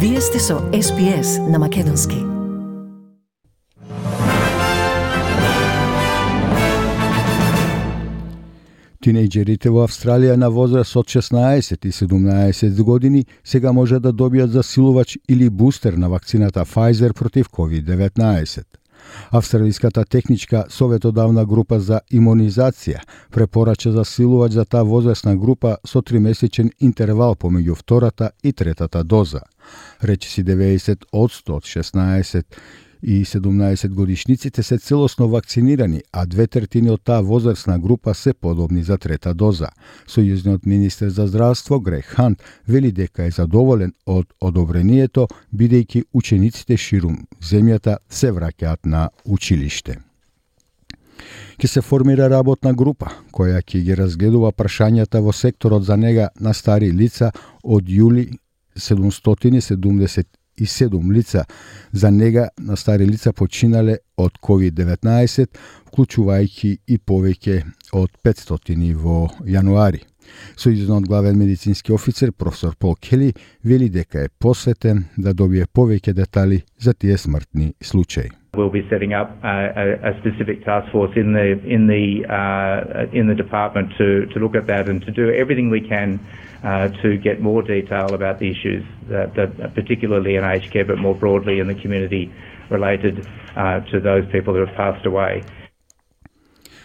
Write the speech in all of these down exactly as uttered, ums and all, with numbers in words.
Вие сте со Ес Би Ес на Македонски. Тинејџерите во Австралија на возраст од шеснаесет и седумнаесет години сега може да добијат засилувач или бустер на вакцината Pfizer против ковид деветнаесет. Австралиската техничка советодавна група за имунизација препорача засилувач за таа возрастна група со тримесечен интервал помеѓу втората и третата доза. Речиси деветдесет одсто од шеснаесет и седумнаесет годишниците се целосно вакцинирани, а две третини од таа возрастна група се подобни за трета доза. Сојузниот министер за здравство Грег Хант вели дека е задоволен од одобрението, бидејќи учениците ширум земјата се враќаат на училиште. Ќе се формира работна група која ќе ги разгледува прашањата во секторот за нега на стари лица од јули седумстотини седумдесет и седум лица за нега на стари лица починале од ковид деветнаесет, вклучувајќи и повеќе од петстотини во јануари. Сојузниот главен медицински офицер професор Пол Кели вели дека е посветен да добие повеќе детали за тие смртни случаи. We'll be setting up a, a, a specific task force in the in the uh, in the department to to look at that and to do everything we can uh, to get more detail about the issues that, that particularly in aged care, but more broadly in the community related uh, to those people who have passed away.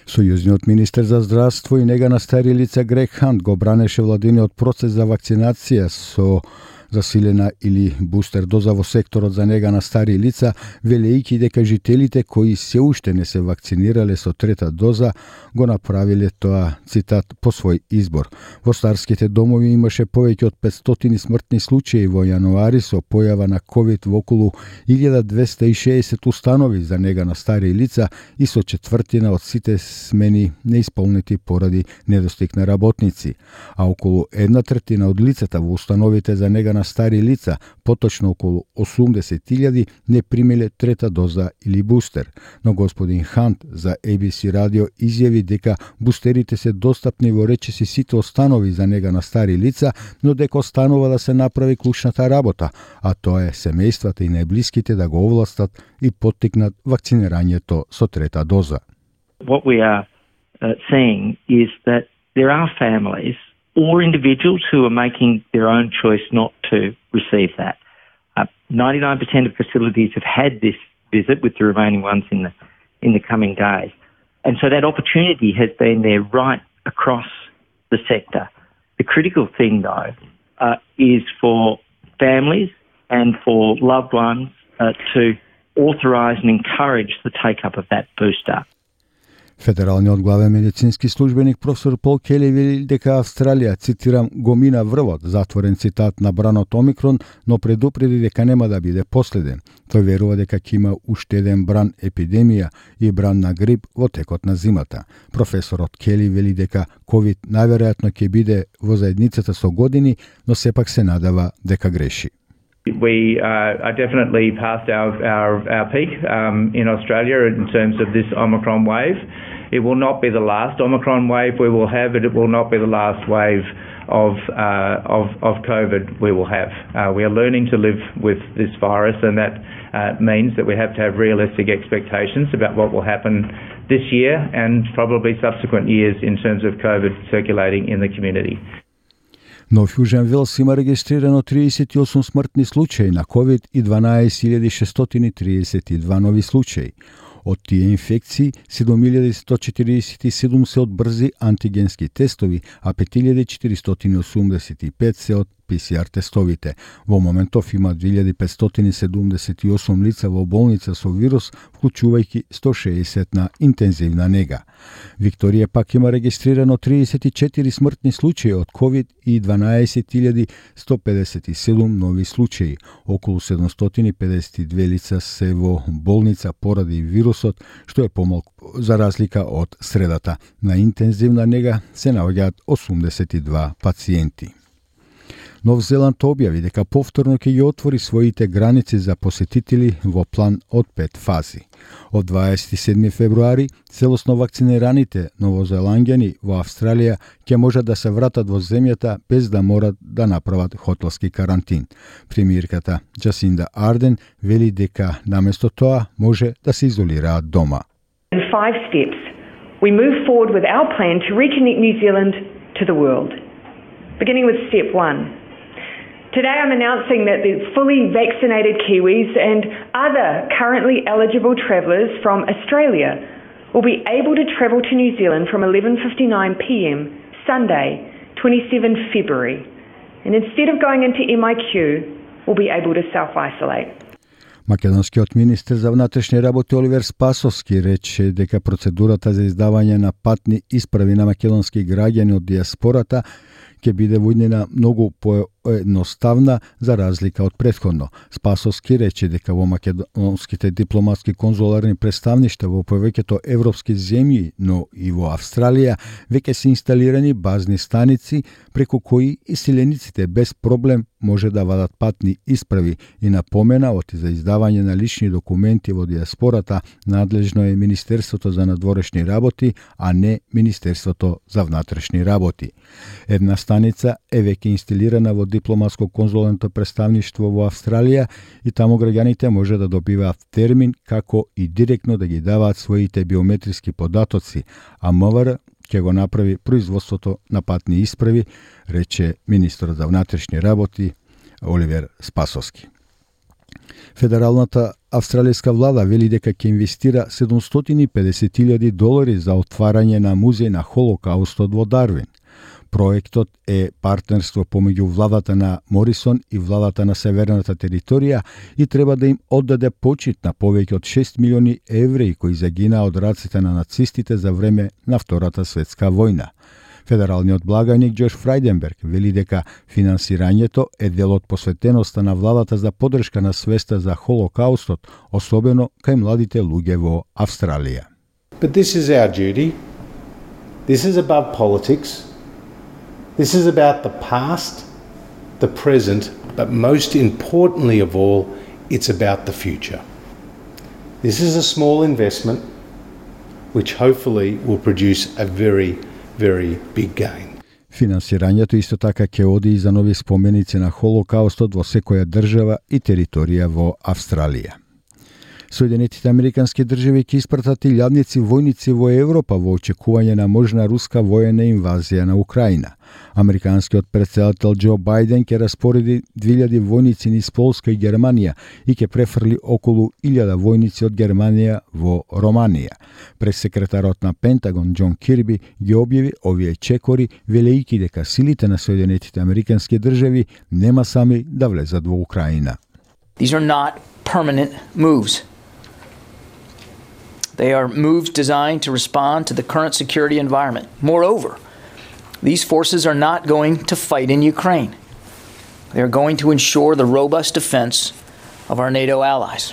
Сојузниот министер за здравство и нега на стари лица Грег Хант го бранеше владиниот процес за вакцинација со засилена или бустер доза во секторот за нега на стари лица, велејќи дека жителите кои се уште не се вакцинирале со трета доза го направиле тоа, цитат, по свој избор. Во старските домови имаше повеќе од петстотини смртни случаи во јануари со појава на ковид во околу илјада двесте и шеесет установи за нега на стари лица и со четвртина од сите смени неисполнети поради недостиг на работници, а околу една третина од лицата во установите за нега на стари лица, поточно околу осумдесет илјади, не примиле трета доза или бустер. Но господин Хант за Ей Би Си радио изјави дека бустерите се достапни во речиси сите останови за нега на стари лица, но дека останува да се направи клучната работа, а тоа е семејствата и најблиските да го овластат и поттикнат вакцинирањето со трета доза. What we are uh, seeing is that there are families or individuals who are making their own choice not to receive that. Uh, ninety-nine percent of facilities have had this visit, with the remaining ones in the in the coming days. And so that opportunity has been there right across the sector. The critical thing, though, uh, is for families and for loved ones uh, to authorise and encourage the take-up of that booster. Федералниот главен медицински службеник професор Пол Кели вели дека Австралија, цитирам, го мина врвот, затворен цитат, на бранот Омикрон, но предупреди дека нема да биде последен. Тој верува дека ќе има уште еден бран епидемија и бран на грип во текот на зимата. Професорот Кели вели дека ковид најверојатно ќе биде во заедницата со години, но сепак се надава дека греши. We uh, are definitely past our, our, our peak um, in Australia in terms of this Omicron wave. It will not be the last Omicron wave we will have, and it will not be the last wave of uh, of, of COVID we will have. Uh, we are learning to live with this virus, and that uh, means that we have to have realistic expectations about what will happen this year and probably subsequent years in terms of COVID circulating in the community. Но в Јужен Велс има регистрирано триесет и осум смртни случаи на ковид и дванаесет илјади шестстотини триесет и два нови случаи. Од тие инфекции, седум илјади сто четиридесет и седум се од брзи антигенски тестови, а пет илјади четиристотини осумдесет и пет се од Пи Си Ар тестовите. Во моментов има две илјади петстотини седумдесет и осум лица во болница со вирус, вклучувајќи сто шеесет на интензивна нега. Викторија пак има регистрирано триесет и четири смртни случаи од ковид и дванаесет илјади сто педесет и седум нови случаи. Околу седумстотини педесет и две лица се во болница поради вирусот, што е помалку за разлика од средата. На интензивна нега се наоѓаат осумдесет и два пациенти. Нов Зеланд објави дека повторно ќе ги отвори своите граници за посетители во план од пет фази. Од дваесет и седми февруари целосно вакцинираните новозеланѓани во Австралија ќе можат да се вратат во земјата без да морат да направат хотелски карантин. Премиерката Джасинда Арден вели дека наместо тоа може да се изолираат дома. In five steps, we move forward with our plan to reconnect New Zealand to the world. Beginning with step one. Today I'm announcing that the fully vaccinated Kiwis and other currently eligible travellers from Australia will be able to travel to New Zealand from eleven fifty-nine p m Sunday, twenty-seventh of February. And instead of going into M I Q, will be able to self-isolate. Македонскиот министер за внатрешни работи Оливер Спасовски рече дека процедурата за издавање на патни исправи на македонски граѓани од диаспората ќе биде во иднина многу поедноставна за разлика од претходно. Спасовски рече дека во македонските дипломатски конзуларни представништва во повеќето европски земји, но и во Австралија, веќе се инсталирани базни станици преку кои иселениците без проблем може да вадат патни исправи и напомена оти за издавање на лични документи во диаспората надлежно е Министерството за надворешни работи, а не Министерството за внатрешни работи. Една станица е веќе инсталирана во дипломатско-конзуларното представништво во Австралија и таму граѓаните може да добиваат термин како и директно да ги даваат своите биометриски податоци, а МВР ќе го направи производството на патни исправи, рече министрот за внатрешни работи Оливер Спасовски. Федералната австралијска влада вели дека ќе инвестира седумстотини и педесет илјади долари за отварање на музеј на Холокаустот во Дарвин. Проектот е партнерство помеѓу владата на Морисон и владата на Северната територија и треба да им оддаде почит на повеќе од шест милиони евреи кои загинаа од раците на нацистите за време на Втората светска војна. Федералниот благајник Џош Фрајденберг вели дека финансирањето е дел од посветеноста на владата за поддршка на свеста за Холокаустот, особено кај младите луѓе во Австралија. But this is our duty. This is above politics. This is about the past, the present, but most importantly of all, it's about the future. This is a small investment which hopefully will produce a very, very big gain. Финансирањето исто така ќе оди и за нови споменици на Холокаустот во секоја држава и територија во Австралија. Соединетите американски држави ќе испратат илјадници војници во Европа во очекување на можна руска воена инвазија на Украина. Американскиот претседател Џо Бајден ќе распореди две илјади војници низ Полска и Германија и ќе префрли околу илјада војници од Германија во Романија. Пресекретарот на Пентагон Џон Кирби ги објави овие чекори, велејќи дека силите на Соединетите американски држави нема сами да влезат во Украина. These are not permanent moves. They are moves designed to respond to the current security environment. Moreover, these forces are not going to fight in Ukraine. They are going to ensure the robust defense of our NATO allies.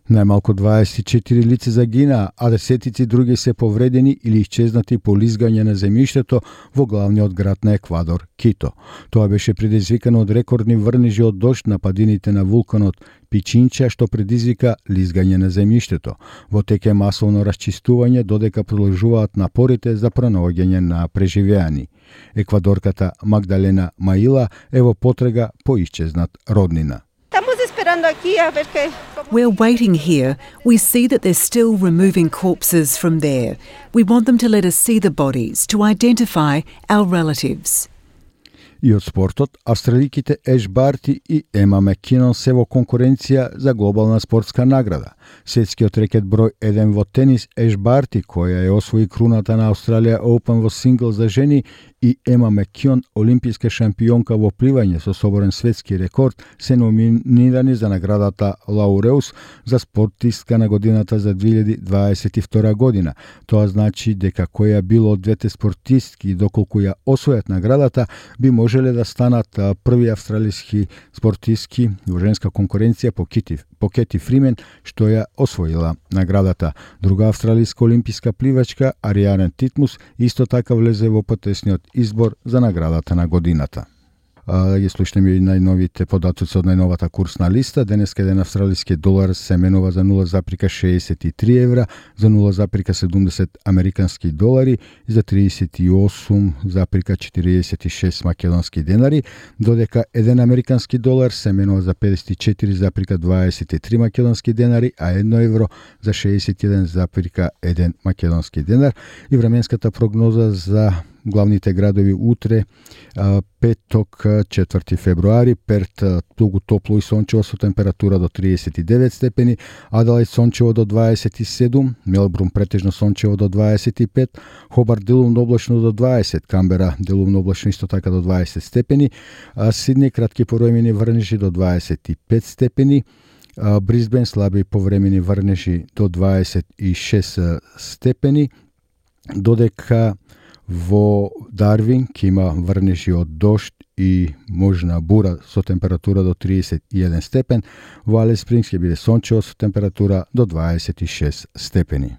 Најмалку дваесет и четири лица загинаа, а десетици други се повредени или исчезнати по лизгање на земјиштето во главниот град на Еквадор, Кито. Тоа беше предизвикано од рекордни врнежи од дожд на падините на вулканот Пичинча, што предизвика лизгање на земјиштето. Во тек е масовно расчистување, додека продолжуваат напорите за пронаоѓање на преживеани. Еквадорката Магдалена Маила е во потрега по исчезнат роднина. We're waiting here. We see that they're still removing corpses from there. We want them to let us see the bodies, to identify our relatives. И од спортот, австраликите Еш Барти и Ема Маккинон се во конкуренција за глобална спортска награда. Светскиот рекет број еден во тенис Еш Барти, која е освои круната на Australia Open во сингл за жени, и Ема Маккинон, олимписка шампионка во пливање со соборен светски рекорд, се номинирани за наградата Лауреус за спортистка на годината за две илјади дваесет и втора година. Тоа значи дека која било од двете спортистки, доколку ја освојат наградата, би можеле да станат први австралиски спортистки во женска конкуренција по Кити, по Кети Фримен, што ја освоила наградата. Друга австралиска олимписка пливачка, Ариарен Титмус, исто така влезе во потесниот избор за наградата на годината. Ја слушнеме и најновите податоци од најновата курсна листа. Денеска еден австралиски долар се менува за нула запирка шеесет и три евра, за нула запирка седумдесет американски долари и за тридесет и осум запирка четириесет и шест македонски денари, додека еден американски долар се менува за педесет и четири запирка дваесет и три македонски денари, а едно евро за шеесет и еден запирка еден македонски денар. И временската прогноза за главните градови утре, петок, четврти февруари: Перт тугу топло и сончево со температура до тридесет и девет степени, Аделаид сончево до дваесет и седум, Мелбурн претежно сончево до дваесет и пет, Хобарт делумно облачно до дваесет, Камбера делумно облачно исто така до дваесет степени, Сидни кратки повремени врнежи до дваесет и пет степени, Брисбен слаби повремени врнежи до дваесет и шест степени, додека во Дарвин ќе има врнежи од дожд и можна бура со температура до тридесет и еден степен, во Алис Спрингс ќе биде сончево со температура до дваесет и шест степени.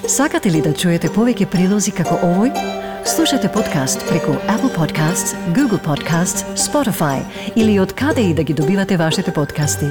Сакате ли да чуете повеќе прилози како овој? Слушате подкаст преку Apple Podcasts, Google Podcasts, Spotify или од каде и да ги добивате вашите подкасти.